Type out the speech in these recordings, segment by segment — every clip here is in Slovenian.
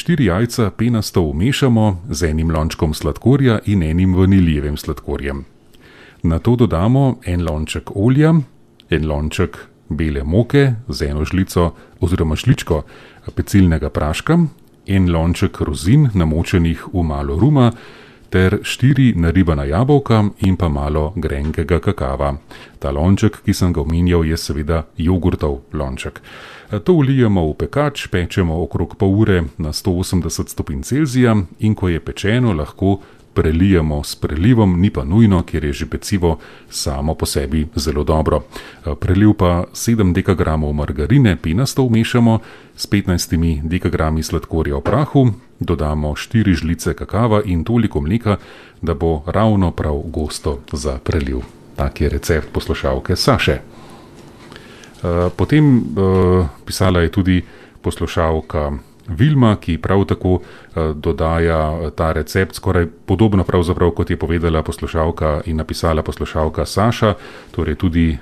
4 jajca penasto umešamo z enim lončkom sladkorja in enim vaniljevim sladkorjem. Nato dodamo en lonček olja, en lonček bele moke z eno žlico oziroma žličko pecilnega praška, en lonček rozin namočenih v malo ruma ter 4 naribana jabolka in pa malo grenkega kakava. Ta lonček, ki sem ga omenjal, je seveda jogurtov lonček. To vlijemo v pekač, pečemo okrog pol ure na 180 stopinj Celzija in ko je pečeno, lahko prelijemo s prelivom, ni pa nujno, ker je že pecivo samo po sebi zelo dobro. Preliv pa 7 dekagramov margarine penasto vmešamo s 15 dekagrami sladkorja v prahu, dodamo 4 žlice kakava in toliko mleka, da bo ravno prav gosto za preliv. Tak je recept poslušalke Saše. Potem pisala je tudi poslušalka Vilma, ki prav tako dodaja ta recept, skoraj podobno pravzaprav, kot je povedala poslušalka in napisala poslušalka Saša, torej tudi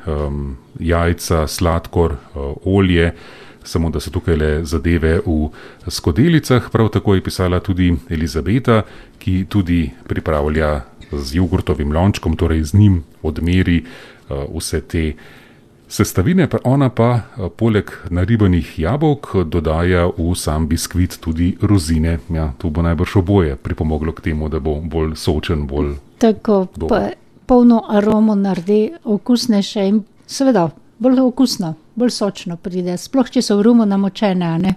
jajca, sladkor, olje, samo da so tukaj le zadeve v skodelicah. Prav tako je pisala tudi Elizabeta, ki tudi pripravlja z jogurtovim lončkom, torej z njim odmeri vse te sestavine, pa ona pa poleg naribanih jabolk dodaja v sam biskvit tudi rozine. Ja, to bo najbrž oboje pripomoglo k temu, da bo bolj sočen, bolj tako dober. Polno aromo naredi, okusnejše in seveda bolj okusno, bolj sočno pride, sploh če so v rumu namočene, a ne?